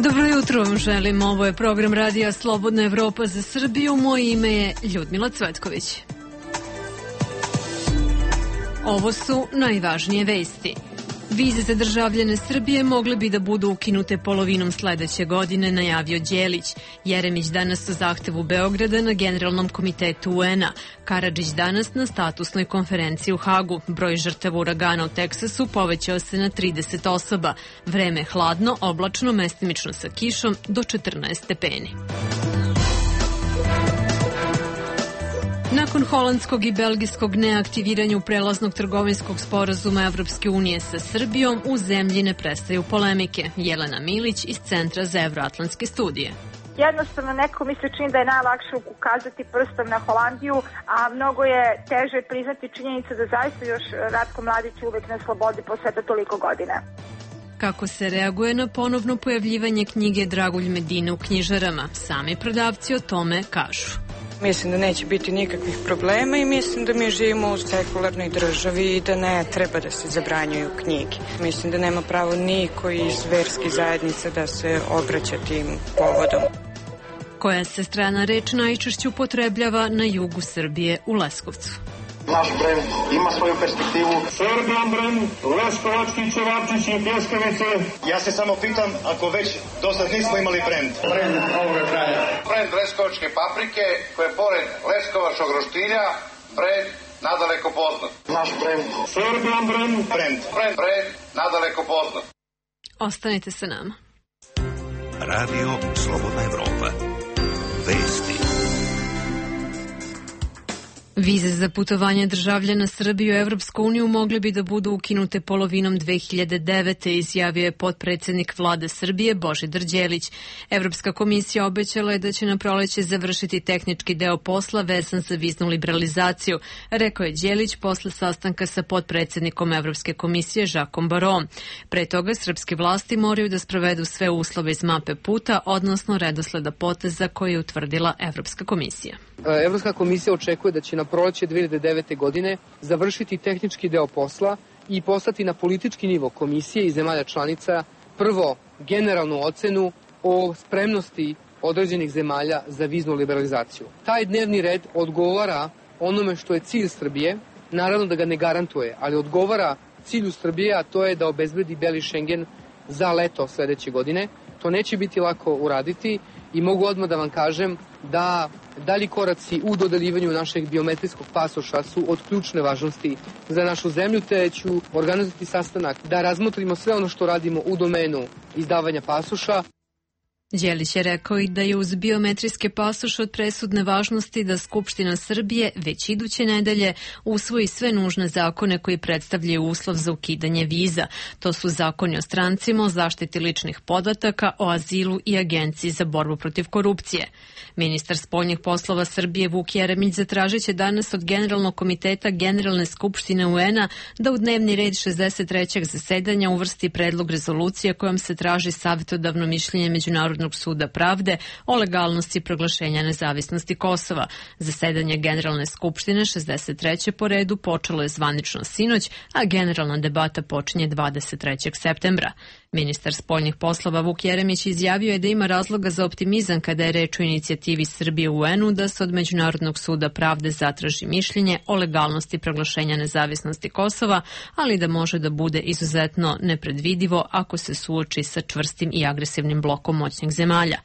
Dobro jutro vam želim. Ovo je program radija Slobodna Evropa za Srbiju. Moje ime je Ljudmila Cvetković. Ovo su najvažnije vesti. Vize za državljane Srbije mogle bi da budu ukinute polovinom sledeće godine, najavio Đelić. Jeremić danas o zahtevu Beograda na Generalnom komitetu UN-a. Karadžić danas na statusnoj konferenciji u Hagu. Broj žrtava uragana u Teksasu povećao se na 30 osoba. Vreme hladno, oblačno, mestimično sa kišom do 14 stepeni. Nakon holandskog i belgijskog neaktiviranja prelaznog trgovinskog sporazuma Evropske unije sa Srbijom, u zemlji ne prestaju polemike. Jelena Milić iz Centra za evroatlantske studije. Jednostavno neko mi se čini da je najlakše ukazati prstom na Holandiju, a mnogo je teže priznati činjenicu da zaista još Ratko Mladić uvek na slobodi posle toliko godina. Kako se reaguje na ponovno pojavljivanje knjige Dragulj Medine u knjižarama? Sami prodavci o tome kažu. Mislim da neće biti nikakvih problema i mislim da mi živimo u sekularnoj državi i da ne treba da se zabranjuju knjige. Mislim da nema pravo niko iz verskih zajednica da se obraća tim povodom. Koja se strana reč najčešće upotrebljava na jugu Srbije u Leskovcu? Naš brend ima svoju perspektivu. Serbian brend, leskovački ćevapčići i pljeskavice. Ja se samo pitam, ako već do sad nismo imali brend. Brend ovoga kraja. Brend leskovačke paprike, koje je pored leskovačkog roštilja, brend nadaleko poznat. Naš brend. Serbian brend. Brend nadaleko poznat. Ostanite sa nama. Radio Slobodna Evropa. Vesti. Vize za putovanje državljana Srbije u Evropsku uniju mogle bi da budu ukinute polovinom 2009. izjavio je potpredsednik Vlade Srbije Božidar Đelić. Evropska komisija obećala je da će na proleće završiti tehnički deo posla vezan za viznu liberalizaciju, rekao je Đelić posle sastanka sa potpredsednikom Evropske komisije Žakom Barom. Pre toga srpske vlasti moraju da sprovedu sve uslove iz mape puta, odnosno redosleda poteza koje je utvrdila Evropska komisija. Evropska komisija očekuje da će na proleće 2009. godine završiti tehnički deo posla i poslati na politički nivo komisije i zemalja članica prvo generalnu ocenu o spremnosti određenih zemalja za viznu liberalizaciju. Taj dnevni red odgovara onome što je cilj Srbije, naravno da ga ne garantuje, ali odgovara cilju Srbije, a to je da obezbedi beli Šengen za leto sledeće godine. To neće biti lako uraditi i mogu odmah da vam kažem da dalji koraci u dodeljivanju našeg biometrijskog pasoša su od ključne važnosti za našu zemlju, te ću organizovati sastanak da razmotrimo sve ono što radimo u domenu izdavanja pasoša. Đelić je rekao i da je uz biometrijske pasoše od presudne važnosti da Skupština Srbije već iduće nedelje usvoji sve nužne zakone koji predstavljaju uslov za ukidanje viza. To su zakoni o strancima, o zaštiti ličnih podataka, o azilu i Agenciji za borbu protiv korupcije. Ministar spoljnih poslova Srbije Vuk Jeremić zatražit će danas od Generalnog komiteta Generalne skupštine UN-a da u dnevni red 63. zasedanja uvrsti predlog rezolucije kojom se traži savjetodavno mišljenje Međunarodnog suda pravde o legalnosti proglašenja nezavisnosti Kosova. Zasedanje Generalne skupštine 63. po redu počelo je zvanično sinoć, a generalna debata počinje 23. septembra. Ministar spoljnih poslova Vuk Jeremić izjavio je da ima razloga za optimizam kada je reč o inicijativi Srbije u UN-u da se od Međunarodnog suda pravde zatraži mišljenje o legalnosti proglašenja nezavisnosti Kosova, ali da može da bude izuzetno nepredvidivo ako se suoči sa čvrstim i agresivnim blokom moćnih zemalja.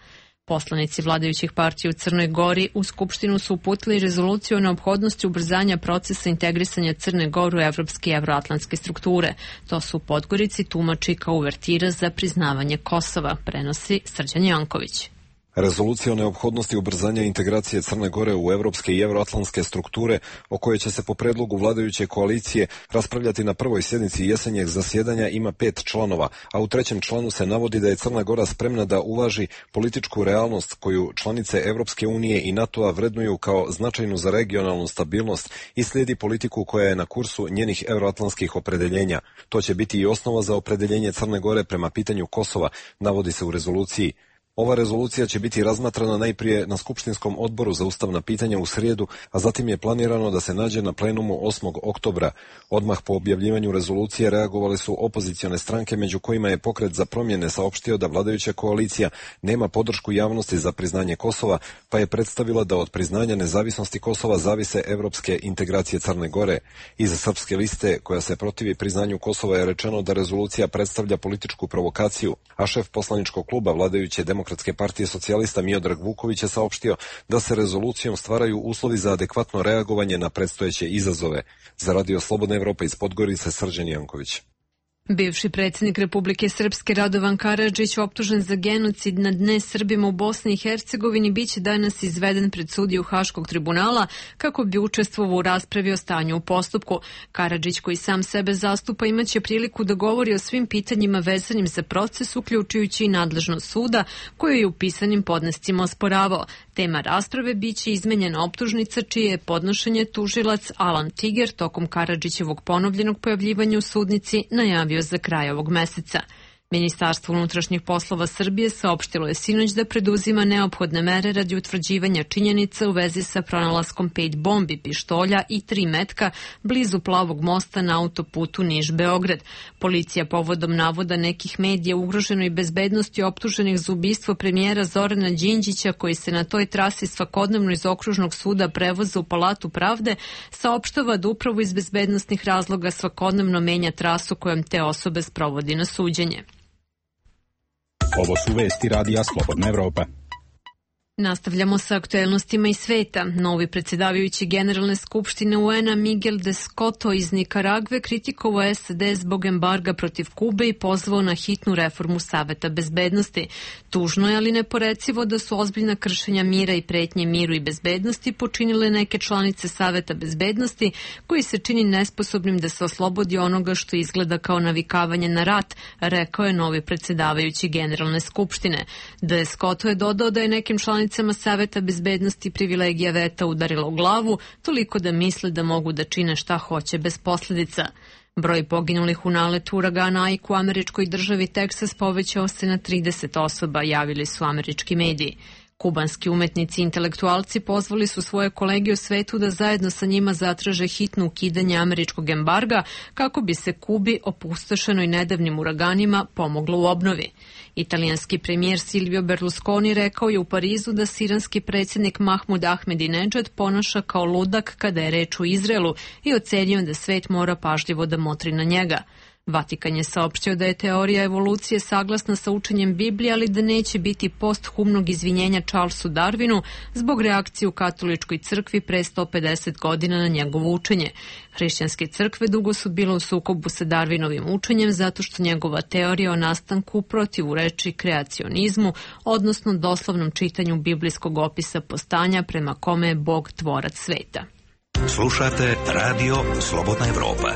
Poslanici vladajućih partija u Crnoj Gori u Skupštinu su uputili rezoluciju o neophodnosti ubrzanja procesa integrisanja Crne Gore u evropske i evroatlantske strukture. To su Podgorici tumači kao uvertira za priznavanje Kosova, prenosi Srđan Janković. Rezolucija o neophodnosti ubrzanja integracije Crne Gore u evropske i evroatlantske strukture, o kojoj će se po predlogu vladajuće koalicije raspravljati na prvoj sjednici jesenjeg zasjedanja, ima 5 članova, a u 3. članu se navodi da je Crna Gora spremna da uvaži političku realnost koju članice Evropske unije i NATO-a vrednuju kao značajnu za regionalnu stabilnost i slijedi politiku koja je na kursu njenih evroatlantskih opredeljenja. To će biti i osnova za opredeljenje Crne Gore prema pitanju Kosova, navodi se u rezoluciji. Ova rezolucija će biti razmatrana najprije na Skupštinskom odboru za ustavna pitanja u srijedu, a zatim je planirano da se nađe na plenumu 8. oktobra. Odmah po objavljivanju rezolucije reagovale su opozicione stranke, među kojima je Pokret za promjene saopštio da vladajuća koalicija nema podršku javnosti za priznanje Kosova, pa je predstavila da od priznanja nezavisnosti Kosova zavise evropske integracije Crne Gore. Iza Srpske liste, koja se protivi priznanju Kosova, je rečeno da rezolucija predstavlja političku provokaciju, a šef poslaničkog kluba vladajuće Demokratske partije socijalista Miodrag Vuković je saopštio da se rezolucijom stvaraju uslovi za adekvatno reagovanje na predstojeće izazove. Za Radio Slobodna Evropa iz Podgorice, Srđan Janković. Bivši predsjednik Republike Srpske Radovan Karadžić, optužen za genocid nad nesrbima u Bosni i Hercegovini, biće danas izveden pred sudiju Haškog tribunala kako bi učestvovao u raspravi o stanju u postupku. Karadžić, koji sam sebe zastupa, imaće priliku da govori o svim pitanjima vezanim za proces, uključujući i nadležnost suda, koju je u pisanim podnescima osporavao. Tema rasprave biće izmenjena optužnica, čije je podnošenje tužilac Alan Tiger tokom Karadžićevog ponovljenog pojavljivanja u sudnici najavio za kraj ovog meseca. Ministarstvo unutrašnjih poslova Srbije saopštilo je sinoć da preduzima neophodne mere radi utvrđivanja činjenica u vezi sa pronalaskom 5 bombi, pištolja i 3 metka blizu Plavog mosta na autoputu Niš-Beograd. Policija povodom navoda nekih medija ugroženoj bezbednosti optuženih za ubistvo premijera Zorana Đinđića, koji se na toj trasi svakodnevno iz okružnog suda prevoza u Palatu pravde, saopštava da upravo iz bezbednostnih razloga svakodnevno menja trasu kojom te osobe sprovodi na suđenje. Ovo su vesti Radija Slobodna Evropa. Nastavljamo sa aktuelnostima iz sveta. Novi predsjedavajući Generalne skupštine UN-a Miguel de Scotto iz Nikaragve kritikovao SAD zbog embarga protiv Kube i pozvao na hitnu reformu Saveta bezbednosti. Tužno je, ali neporecivo, da su ozbiljna kršenja mira i pretnje miru i bezbednosti počinile neke članice Saveta bezbednosti, koji se čini nesposobnim da se oslobodi onoga što izgleda kao navikavanje na rat, rekao je novi predsjedavajući Generalne skupštine. De Scotto je dodao da je nekim članicama Saveta bezbednosti privilegija veta udarila u glavu, toliko da misle da mogu da čine šta hoće bez posljedica. Broj poginulih u naletu uragana Ike u američkoj državi Teksas povećao se na 30 osoba, javili su američki mediji. Kubanski umetnici i intelektualci pozvali su svoje kolege u svetu da zajedno sa njima zatraže hitno ukidanje američkog embarga kako bi se Kubi, opustošenoj nedavnim uraganima, pomoglo u obnovi. Italijanski premijer Silvio Berlusconi rekao je u Parizu da siranski predsjednik Mahmud Ahmadinejad ponaša kao ludak kada je reč o Izraelu i ocenio da svet mora pažljivo da motri na njega. Vatikan je saopštio da je teorija evolucije saglasna sa učenjem Biblije, ali da neće biti posthumnog izvinjenja Charlesu Darwinu zbog reakcije u katoličkoj crkvi pre 150 godina na njegovo učenje. Hrišćanske crkve dugo su bile u sukobu sa Darwinovim učenjem zato što njegova teorija o nastanku protivreči kreacionizmu, odnosno doslovnom čitanju biblijskog opisa postanja prema kome je Bog tvorac sveta. Slušate Radio Slobodna Evropa.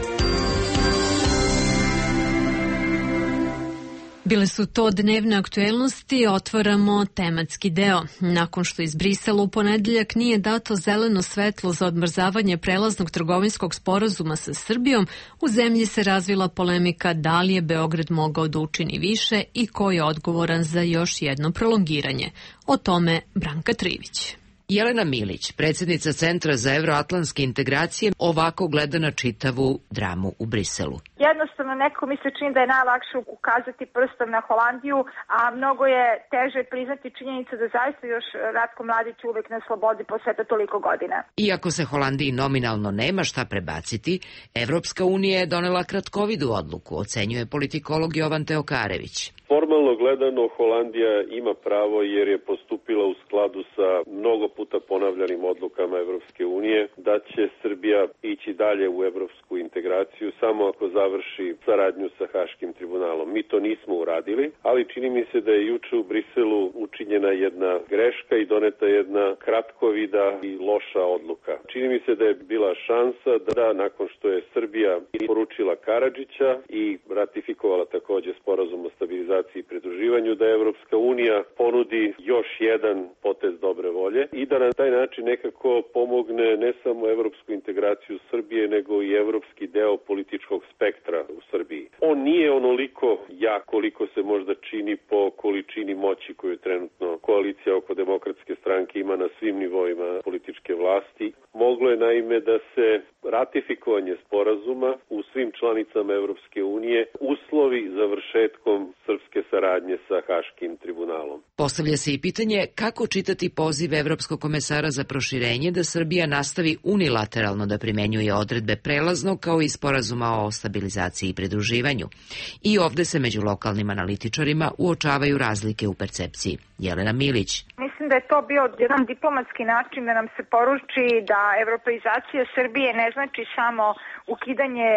Bile su to dnevne aktuelnosti, otvaramo tematski deo. Nakon što iz Brisela u ponedeljak nije dato zeleno svetlo za odmrzavanje prelaznog trgovinskog sporazuma sa Srbijom, u zemlji se razvila polemika da li je Beograd mogao da učini više i ko je odgovoran za još jedno prolongiranje. O tome Branka Trivić. Jelena Milić, predsjednica Centra za evroatlantske integracije, ovako gleda na čitavu dramu u Briselu. Jednostavno, neko mi se čini da je najlakše ukazati prstom na Holandiju, a mnogo je teže priznati činjenicu da zaista još Ratko Mladić uvek na slobodi posle toliko godina. Iako se Holandiji nominalno nema šta prebaciti, Evropska unija je donela kratkovidu odluku, ocenjuje politikolog Jovan Teokarević. Formalno gledano, Holandija ima pravo jer je postupila u skladu sa mnogo puta ponavljanim odlukama Evropske unije da će Srbija ići dalje u evropsku integraciju samo ako završi saradnju sa Haškim tribunalom. Mi to nismo uradili, ali čini mi se da je juče u Briselu učinjena jedna greška i doneta jedna kratkovida i loša odluka. Čini mi se da je bila šansa da nakon što je Srbija poručila Karadžića i ratifikovala takođe sporazum o stabilizaciji stabilizaciji i pridruživanju, da Evropska unija ponudi još jedan potez dobre volje i da na taj način nekako pomogne ne samo evropsku integraciju Srbije, nego i evropski deo političkog spektra u Srbiji. On nije onoliko jak koliko se možda čini po količini moći koju trenutno koalicija oko Demokratske stranke ima na svim nivoima političke vlasti. Moglo je naime da se ratifikovanje sporazuma u svim članicama Evropske unije uslovi završetkom srpske saradnje sa Haškim tribunalom. Postavlja se i pitanje kako čitati poziv Evropskog komesara za proširenje da Srbija nastavi unilateralno da primenjuje odredbe prelaznog kao i sporazuma o stabilizaciji i pridruživanju. I ovde se među lokalnim analitičarima uočavaju razlike u percepciji. Jelena Milić. Mislim da je to bio jedan diplomatski način da nam se poruči da evropeizacija Srbije ne znači samo ukidanje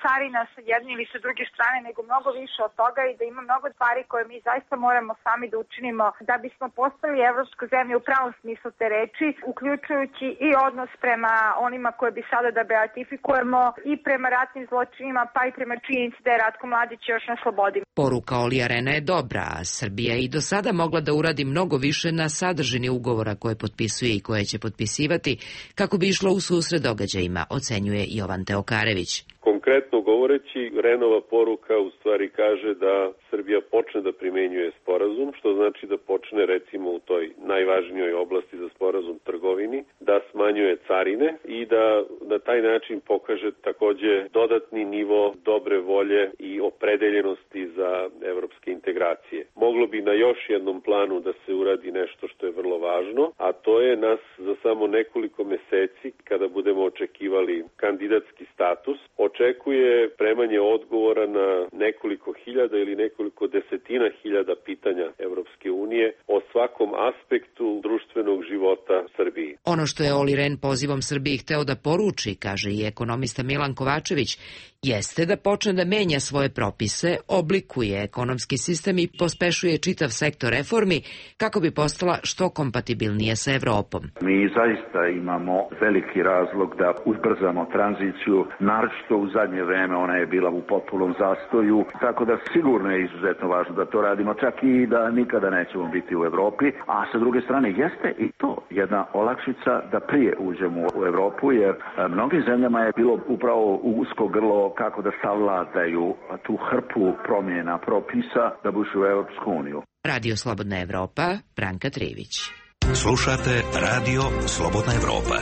carina sa jedne ili sa druge strane, nego mnogo više od toga i da ima mnogo stvari koje mi zaista moramo sami da učinimo da bismo postali evropska zemlja u pravom smislu te reči, uključujući i odnos prema onima koje bi sada da beatifikujemo i prema ratnim zločinima, pa i prema činjenici da je Ratko Mladić još na slobodi. Poruka Olija Rena je dobra, a Srbija je i do sada mogla da uradi mnogo više na sadržini ugovora koje potpisuje i koje će potpisivati kako bi išlo u susret događajima, ocenjuje Jovan Teokarević. Konkretno govoreći, Renova poruka u stvari kaže da Srbija počne da primenjuje sporazum, što znači da počne recimo u toj najvažnijoj oblasti za sporazum trgovini, da smanjuje carine i da na taj način pokaže takođe dodatni nivo dobre volje i opredeljenosti za evropske integracije. Moglo bi na još jednom planu da se uradi nešto što je vrlo važno, a to je nas za samo nekoliko meseci, kada budemo očekivali kandidatski status, očekuje premanje odgovora na nekoliko hiljada ili nekoliko desetina hiljada pitanja Evropske unije o svakom aspektu društvenog života Srbiji. Ono što je Oli Ren pozivom Srbiji hteo da poruči, kaže i ekonomista Milan Kovačević, jeste da počne da menja svoje propise, oblikuje ekonomski sistem i pospešuje čitav sektor reformi kako bi postala što kompatibilnije sa Evropom. Mi zaista imamo veliki razlog da ubrzamo tranziciju, naročito u zadnje vreme ona je bila u potpunom zastoju, tako da sigurno je izuzetno važno da to radimo, čak i da nikada nećemo biti u Evropi, a sa druge strane jeste i to jedna olakšica da prije uđemo u Evropu, jer mnogim zemljama je bilo upravo usko grlo kako da savladaju tu hrpu promjena propisa da bi ušli u Evropsku uniju. Radio Slobodna Evropa, Branka Trivić. Slušate Radio Slobodna Evropa.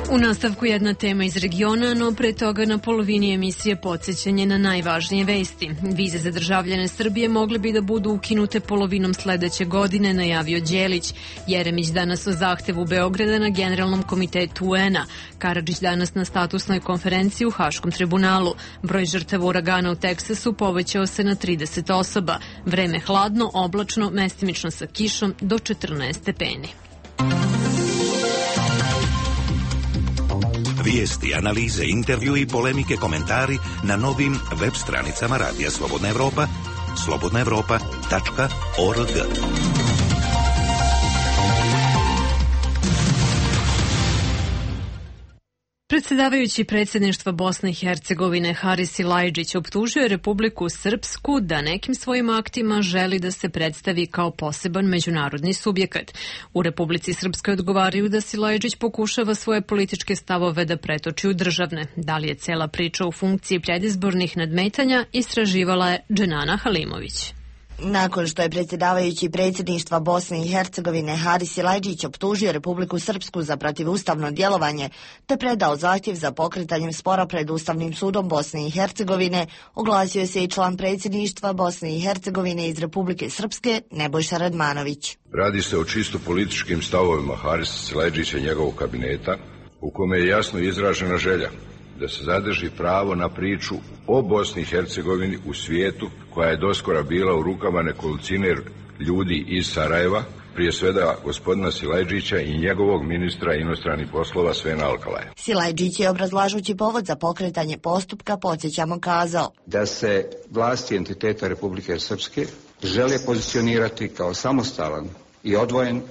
U nastavku jedna tema iz regiona, no pre toga na polovini emisije podsjećanje na najvažnije vesti. Vize za državljane Srbije mogle bi da budu ukinute polovinom sledeće godine, najavio Đelić. Jeremić danas o zahtevu Beograda na Generalnom komitetu UN-a. Karadžić danas na statusnoj konferenciji u Haškom tribunalu. Broj žrtava uragana u Teksasu povećao se na 30 osoba. Vreme hladno, oblačno, mestimično sa kišom do 14 stepeni. Vijesti, analize, intervju i polemike, komentari na novim web stranicama Radija Slobodna Evropa, slobodnaevropa.org. Predsedavajući predsjedništva Bosne i Hercegovine Haris Silajdžić optužio je Republiku Srpsku da nekim svojim aktima želi da se predstavi kao poseban međunarodni subjekat. U Republici Srpskoj odgovaraju da Silajdžić pokušava svoje političke stavove da pretoči u državne. Da li je cela priča u funkciji predizbornih nadmetanja, istraživala je Dženana Halimović. Nakon što je predsjedavajući predsjedništva Bosne i Hercegovine Haris Silajdžić optužio Republiku Srpsku za protivustavno djelovanje te predao zahtjev za pokretanjem spora pred Ustavnim sudom Bosne i Hercegovine, oglasio se i član predsjedništva Bosne i Hercegovine iz Republike Srpske Nebojša Radmanović. Radi se o čisto političkim stavovima Harisa Silajdžića i njegovog kabineta, u kome je jasno izražena želja da se zadrži pravo na priču o Bosni i Hercegovini u svijetu koja je doskora bila u rukama nekolicine ljudi iz Sarajeva, prije svega gospodina Silajdžića i njegovog ministra inostranih poslova Svena Alkalaja. Silajdžić je obrazlažući povod za pokretanje postupka, podsjećamo, kazao da se vlasti entiteta Republike Srpske žele pozicionirati kao samostalan i odvojen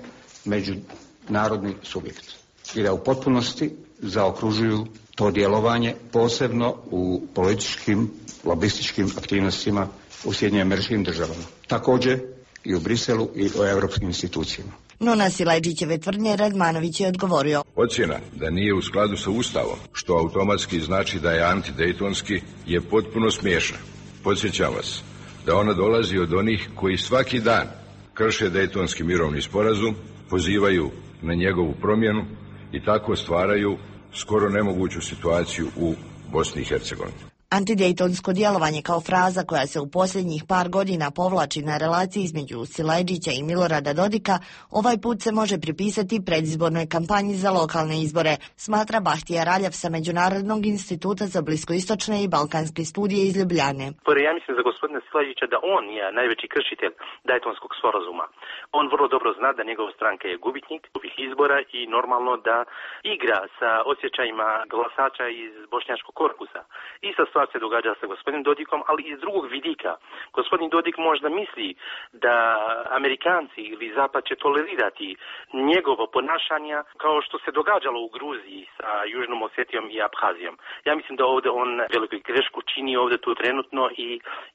međunarodni subjekt i da u potpunosti zaokružuju to djelovanje, posebno u političkim, lobističkim aktivnostima u Sjedinjenim Američkim Državama. Također i u Briselu i u europskim institucijama. No na Silajdžićeve tvrdnje Radmanović je odgovorio. Ocjena da nije u skladu sa Ustavom, što automatski znači da je antidejtonski, je potpuno smiješna. Podsjećam vas da ona dolazi od onih koji svaki dan krše Dejtonski mirovni sporazum, pozivaju na njegovu promjenu i tako stvaraju skoro nemoguću situaciju u Bosni i Hercegovini. Antidejtonsko djelovanje kao fraza koja se u posljednjih par godina povlači na relaciji između Silajdžića i Milorada Dodika, ovaj put se može pripisati predizbornoj kampanji za lokalne izbore, smatra Bahtija Raljav sa Međunarodnog instituta za bliskoistočne i balkanske studije iz Ljubljane. Ja mislim za gospodina Silajdžića da on je najveći kršitelj Dejtonskog sporazuma. On vrlo dobro zna da njegova stranka je gubitnik ovih izbora i normalno da igra sa osjećajima glasača iz bošnjačkog korpusa. Ista stvar se događa sa gospodinom Dodikom, ali iz drugog vidika. Gospodin Dodik možda misli da Amerikanci ili Zapad će tolerirati njegovo ponašanja kao što se događalo u Gruziji sa Južnom Osetijom i Abhazijom. Ja mislim da ovdje on veliku grešku čini ovdje tu trenutno i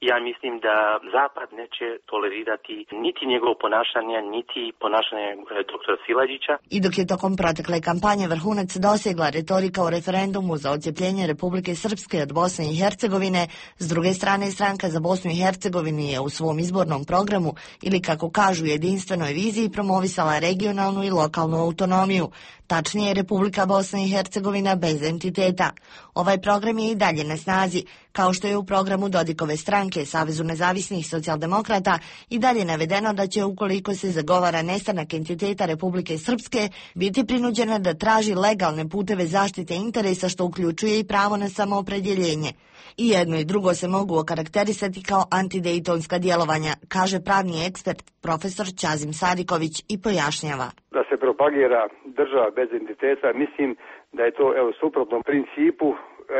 ja mislim da Zapad neće tolerirati niti njegovo ponašanje, niti ponašanje doktora Silajdžića. I dok je tokom protekle kampanje vrhunac dosegla retorika o referendumu za odcjepljenje Republike Srpske od Bosne i Hercegovine, s druge strane stranka za Bosnu i Hercegovinu je u svom izbornom programu ili kako kažu jedinstvenoj viziji promovisala regionalnu i lokalnu autonomiju, tačnije Republika Bosna i Hercegovina bez entiteta. Ovaj program je i dalje na snazi, kao što je u programu Dodikove stranke Savezu nezavisnih socijaldemokrata i dalje navedeno da će, ukoliko se zagovara nestanak entiteta Republike Srpske, biti prinuđena da traži legalne puteve zaštite interesa, što uključuje i pravo na samoopredjeljenje. I jedno i drugo se mogu okarakterisati kao antidejtonska djelovanja, kaže pravni ekspert profesor Ćazim Sadiković i pojašnjava. Da se propagira država bez entiteta, mislim da je to suprotno principu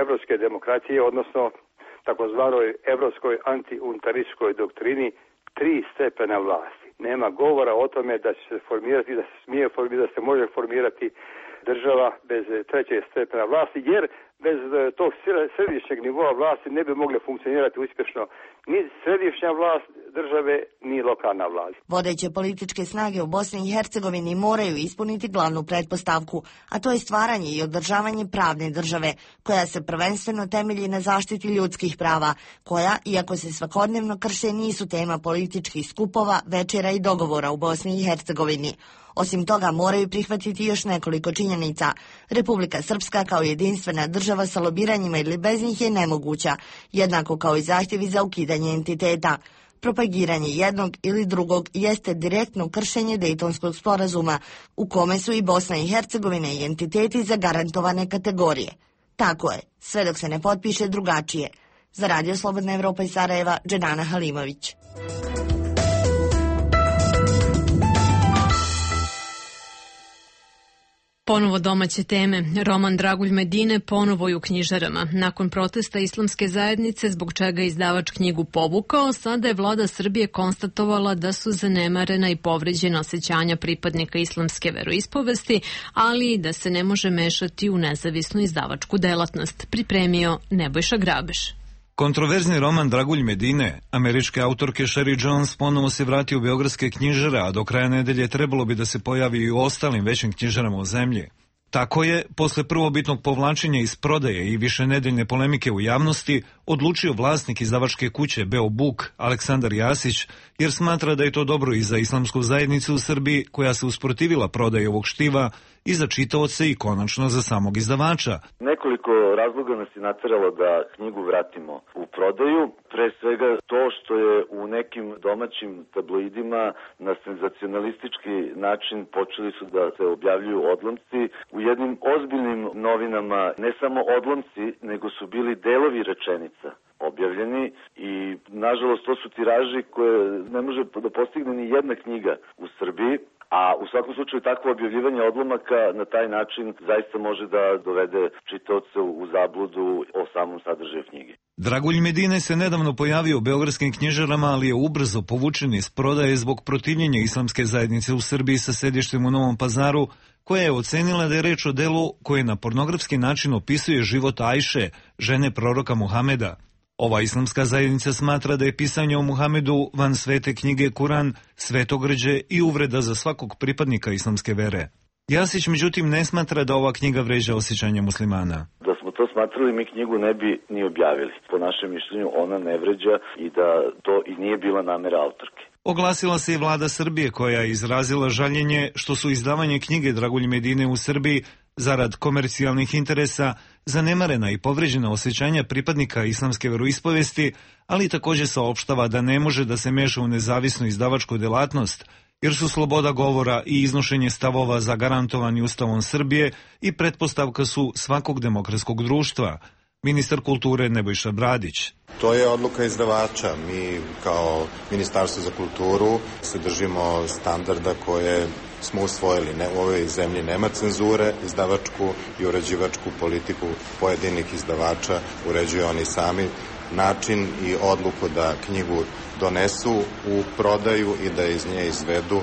evropske demokracije, odnosno takozvanoj evropskoj antiuntarističkoj doktrini 3 stepena vlasti. Nema govora o tome da će se formirati, da se smije formirati, da se može formirati država bez 3. stepena vlasti, jer bez tog središnjeg nivoa vlasti ne bi mogle funkcionirati uspješno ni središnja vlast države, ni lokalna vlast. Vodeće političke snage u Bosni i Hercegovini moraju ispuniti glavnu pretpostavku, a to je stvaranje i održavanje pravne države, koja se prvenstveno temelji na zaštiti ljudskih prava, koja, iako se svakodnevno krše, nisu tema političkih skupova, večera i dogovora u Bosni i Hercegovini. Osim toga, moraju prihvatiti još nekoliko činjenica. Republika Srpska kao jedinstvena država sa lobiranjima ili bez njih je nemoguća, jednako kao i zahtjevi za ukidanje entiteta. Propagiranje jednog ili drugog jeste direktno kršenje Dejtonskog sporazuma, u kome su i Bosna i Hercegovina i entiteti zagarantovane kategorije. Tako je, sve dok se ne potpiše drugačije. Za Radio Slobodna Evropa iz Sarajeva, Dženana Halimović. Ponovo domaće teme. Roman Dragulj Medine ponovo je u knjižarama. Nakon protesta islamske zajednice, zbog čega je izdavač knjigu povukao, sada je vlada Srbije konstatovala da su zanemarena i povređena osjećanja pripadnika islamske veroispovesti, ali i da se ne može mešati u nezavisnu izdavačku delatnost. Pripremio Nebojša Grabeš. Kontroverzni roman Dragulj Medine, američke autorke Sherry Jones, ponovo se vratio u beogradske knjižare, a do kraja nedelje trebalo bi da se pojavi i u ostalim većim knjižarama u zemlji. Tako je, posle prvobitnog povlačenja iz prodaje i višenedeljne polemike u javnosti, odlučio vlasnik izdavačke kuće Beo Buk, Aleksandar Jasić, jer smatra da je to dobro i za islamsku zajednicu u Srbiji, koja se usprotivila prodaji ovog štiva, i za čitaoce i konačno za samog izdavača. Nekoliko razloga nas je nateralo da knjigu vratimo u prodaju. Pre svega to što je u nekim domaćim tabloidima na senzacionalistički način počeli su da se objavljuju odlomci. U jednim ozbiljnim novinama ne samo odlomci, nego su bili delovi rečenica objavljeni i nažalost to su tiraži koje ne može da postigne ni jedna knjiga u Srbiji. A u svakom slučaju takvo objavljivanje odlomaka na taj način zaista može da dovede čitaoce u zabludu o samom sadržaju knjige. Dragulj Medine se nedavno pojavio u beogradskim knjižarama, ali je ubrzo povučen iz prodaje zbog protivljenja islamske zajednice u Srbiji sa sedištem u Novom Pazaru, koja je ocenila da je reč o delu koje na pornografski način opisuje život Ajše, žene proroka Muhameda. Ova islamska zajednica smatra da je pisanje o Muhamedu van svete knjige Kuran, svetogrđe i uvreda za svakog pripadnika islamske vere. Jasić, međutim, ne smatra da ova knjiga vređa osjećanja muslimana. Da smo to smatrali, mi knjigu ne bi ni objavili. Po našem mišljenju ona ne vređa i da to i nije bila namera autorke. Oglasila se i vlada Srbije, koja je izrazila žaljenje što su izdavanje knjige Dragulj Medine u Srbiji zarad komercijalnih interesa zanemarena i povređena osjećanja pripadnika islamske veroispovesti, ali također saopštava da ne može da se meša u nezavisnu izdavačku delatnost, jer su sloboda govora i iznošenje stavova zagarantovani Ustavom Srbije i pretpostavka su svakog demokratskog društva. Ministar kulture Nebojša Bradić. To je odluka izdavača. Mi kao Ministarstvo za kulturu se držimo standarda koje smo usvojili. U ovoj zemlji nema cenzure, izdavačku i uređivačku politiku pojedinih izdavača uređuju oni sami. Način i odluku da knjigu donesu u prodaju i da iz nje izvedu,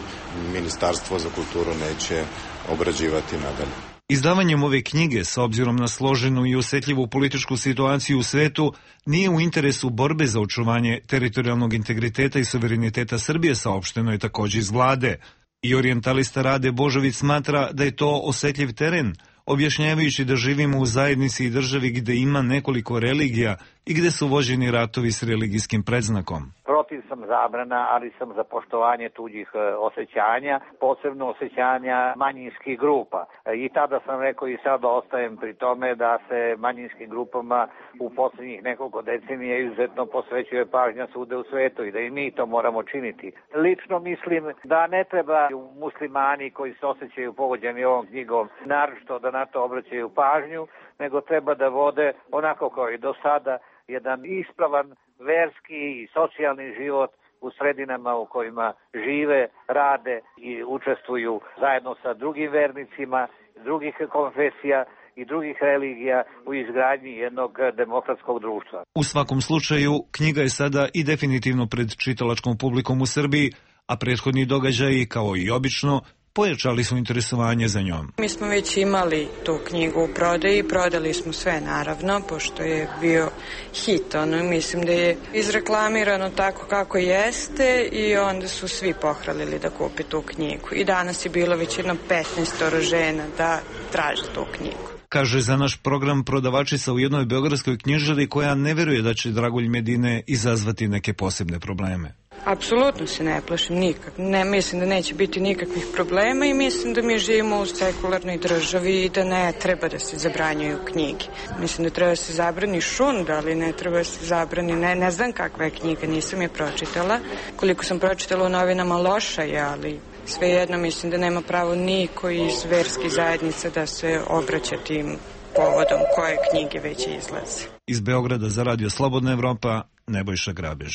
Ministarstvo za kulturu neće obrađivati nadalje. Izdavanjem ove knjige, s obzirom na složenu i osetljivu političku situaciju u svetu, nije u interesu borbe za očuvanje teritorijalnog integriteta i suvereniteta Srbije, saopšteno je također iz vlade. I orijentalista Rade Božović smatra da je to osetljiv teren, objašnjavajući da živimo u zajednici i državi gde ima nekoliko religija i gde su vođeni ratovi s religijskim predznakom. Protiv sam zabrana, ali sam za poštovanje tuđih osjećanja, posebno osjećanja manjinskih grupa. I tada sam rekao i sad ostajem pri tome da se manjinskim grupama u posljednjih nekoliko decenija izuzetno posvećuje pažnja svuda u svetu i da i mi to moramo činiti. Lično mislim da ne treba muslimani koji se osjećaju pogođeni ovom knjigom naročito da na to obraćaju pažnju, nego treba da vode onako kao i do sada jedan ispravan verski i socijalni život u sredinama u kojima žive, rade i učestvuju zajedno sa drugim vernicima, drugih konfesija i drugih religija u izgradnji jednog demokratskog društva. U svakom slučaju, knjiga je sada i definitivno pred čitalačkom publikom u Srbiji, a prethodni događaji, kao i obično, pojačali su interesovanje za njom. Mi smo već imali tu knjigu u prodaji, prodali smo sve naravno, pošto je bio hit, mislim da je izreklamirano tako kako jeste i onda su svi pohralili da kupe tu knjigu. I danas je bilo već jedno 15 žena da traže tu knjigu. Kaže za naš program prodavačica u jednoj beogradskoj knjižari koja ne veruje da će Dragulj Medine izazvati neke posebne probleme. Apsolutno se ne plašim nikak. Ne mislim da neće biti nikakvih problema i mislim da mi živimo u sekularnoj državi i da ne treba da se zabranjuju knjige. Mislim da treba da se zabrani šund, ali ne treba da se zabrani, ne znam kakva je knjiga, nisam je pročitala. Koliko sam pročitala u novinama loša je, ali svejedno mislim da nema pravo niko iz verskih zajednica da se obraća tim povodom koje knjige već izlaze. Iz Beograda za Radio Slobodna Evropa, Nebojša Grabež.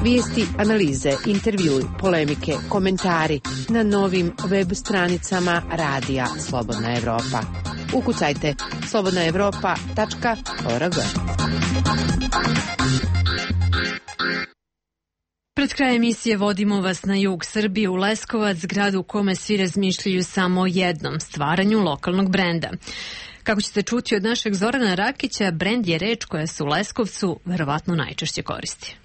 Vijesti, analize, intervjui, polemike, komentari na novim web stranicama Radija Slobodna Evropa. Ukucajte slobodnaevropa.org. Pred kraj emisije vodimo vas na jug Srbije u Leskovac, grad u kome svi razmišljaju samo o jednom, stvaranju lokalnog brenda. Kako ćete čuti od našeg Zorana Rakića, brend je reč koja se u Leskovcu verovatno najčešće koristi.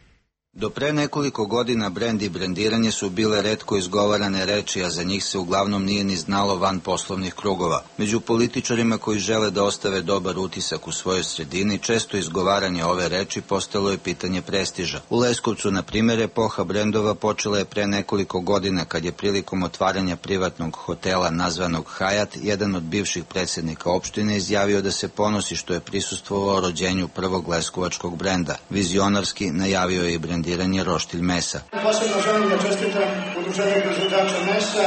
Do pre nekoliko godina brend i brendiranje su bile retko izgovarane reči, a za njih se uglavnom nije ni znalo van poslovnih krugova. Među političarima koji žele da ostave dobar utisak u svojoj sredini, često izgovaranje ove reči postalo je pitanje prestiža. U Leskovcu, na primjer, epoha brendova počela je pre nekoliko godina kad je prilikom otvaranja privatnog hotela nazvanog Hajat, jedan od bivših predsjednika opštine izjavio da se ponosi što je prisustvovao rođenju prvog leskovačkog brenda. Vizionarski najavio je i brend roštilj mesa. Posebno želim da čestitam udruženju proizvođača mesa,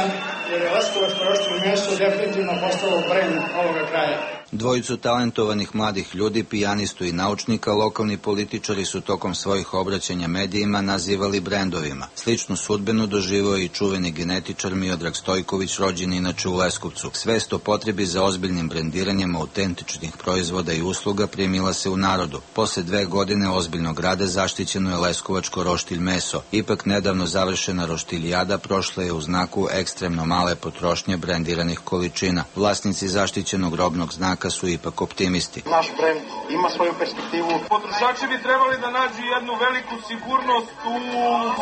jer je leskovačko roštilj meso definitivno postalo brend ovoga kraja. Dvojicu talentovanih mladih ljudi, pijanistu i naučnika, lokalni političari su tokom svojih obraćanja medijima nazivali brendovima. Sličnu sudbinu doživio je i čuveni genetičar Miodrag Stojković, rođen inače u Leskovcu. Svest o potrebi za ozbiljnim brendiranjem autentičnih proizvoda i usluga primila se u narodu. Posle 2 godine ozbiljnog rada zaštićeno je leskovačko roštilj meso. Ipak nedavno završena roštiljada prošla je u znaku ekstremno male potrošnje brendiranih količina. Vlasnici zaštićenog robnog znaka su ipak optimisti. Naš brend ima svoju perspektivu. Potrošači bi trebali da nađu jednu veliku sigurnost u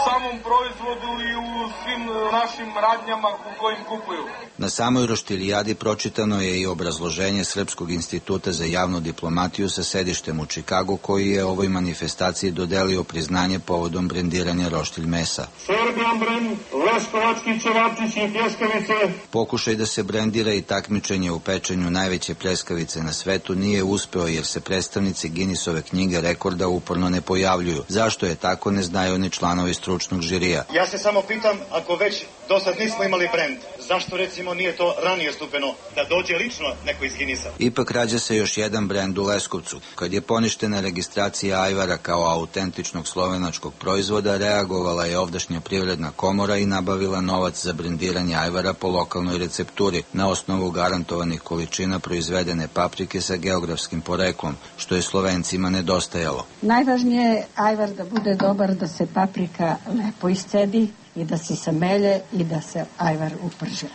samom proizvodu i u svim našim radnjama u kojim kupuju. Na samoj roštiljadi pročitano je i obrazloženje Srpskog instituta za javnu diplomatiju sa sedištem u Čikagu, koji je ovoj manifestaciji dodelio priznanje povodom brendiranja roštilj mesa. Serbian brend, leskovački ćevapčići i pljeskavice. Pokušaj da se brendira i takmičenje u pečenju najveće pljeskavice na svetu nije uspeo, jer se predstavnici Guinnessove knjige rekorda uporno ne pojavljuju. Zašto je tako, ne znaju ni članovi stručnog žirija. Ja se samo pitam, ako već do sad nismo imali brend, zašto recimo nije to ranije stupeno, da dođe lično neko iz Guinnessa? Ipak rađa se još jedan brend u Leskovcu. Kad je poništena registracija ajvara kao autentičnog slovenačkog proizvoda, reagovala je ovdašnja privredna komora i nabavila novac za brendiranje ajvara po lokalnoj recepturi na osnovu garantovanih količina proizvedene paprike sa geografskim poreklom, što je Slovencima nedostajalo. Najvažnije je ajvar da bude dobar, da se paprika lepo iscedi i da se samelje i da se ajvar uprži.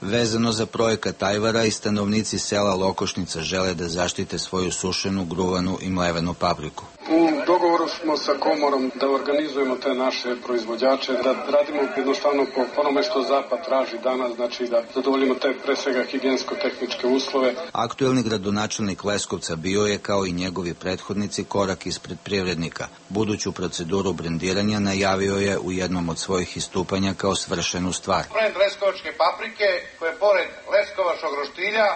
Vezano za projekat ajvara, i stanovnici sela Lokošnica žele da zaštite svoju sušenu, gruvanu i mlevenu papriku. U dogovoru smo sa komorom da organizujemo te naše proizvođače, da radimo jednostavno po onome što Zapad traži danas, znači da zadovoljimo te pre svega higijensko-tehničke uslove. Aktuelni gradonačelnik Leskovca bio je, kao i njegovi prethodnici, korak ispred privrednika. Buduću proceduru brendiranja najavio je u jednom od svojih istupanja kao svršenu stvar. Brend leskovačke paprike, koje pored leskovačkog roštilja,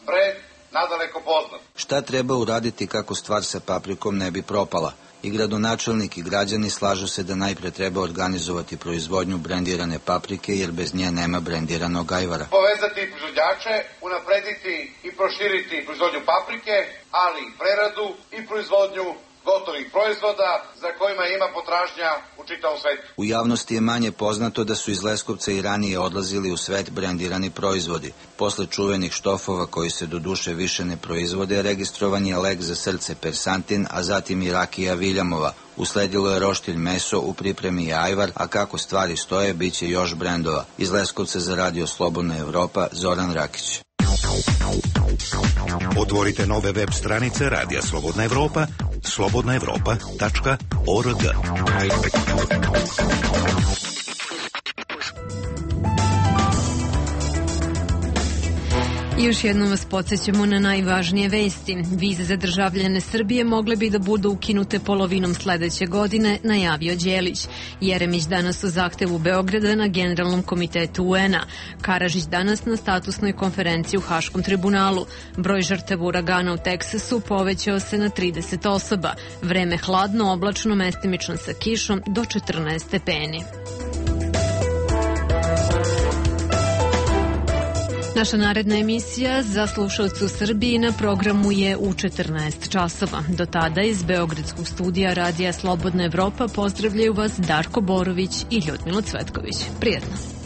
brend nadaleko poznat. Šta treba uraditi kako stvar sa paprikom ne bi propala? I gradonačelnik i građani slažu se da najpre treba organizovati proizvodnju brendirane paprike, jer bez nje nema brendiranog ajvara. Povezati proizvođače, unaprediti i proširiti proizvodnju paprike, ali i preradu i proizvodnju gotovih proizvoda za kojima ima potražnja u čitavom svetu. U javnosti je manje poznato da su iz Leskovca i ranije odlazili u svet brendirani proizvodi. Posle čuvenih štofova, koji se doduše više ne proizvode, registrovan je lek za srce Persantin, a zatim i rakija Viljamova. Usledilo je roštilj meso, u pripremi je ajvar, a kako stvari stoje, bit će još brendova. Iz Leskovca za Radio Slobodna Evropa, Zoran Rakić. Otvorite nove web stranice Radija Slobodna Evropa, slobodnaevropa.org. Još jednom vas podsjećamo na najvažnije vesti. Vize za državljane Srbije mogle bi da budu ukinute polovinom sledeće godine, najavio Đelić. Jeremić danas u zahtevu Beograda na Generalnom komitetu UN-a. Karažić danas na statusnoj konferenciji u Haškom tribunalu. Broj žrtava uragana u Teksasu povećao se na 30 osoba. Vreme hladno, oblačno, mestimično sa kišom do 14 stepeni. Naša naredna emisija za slušalce u Srbiji na programu je u 14 časova. Do tada iz Beogradskog studija Radija Slobodna Evropa pozdravljaju vas Darko Borović i Ljudmila Cvetković. Prijetno!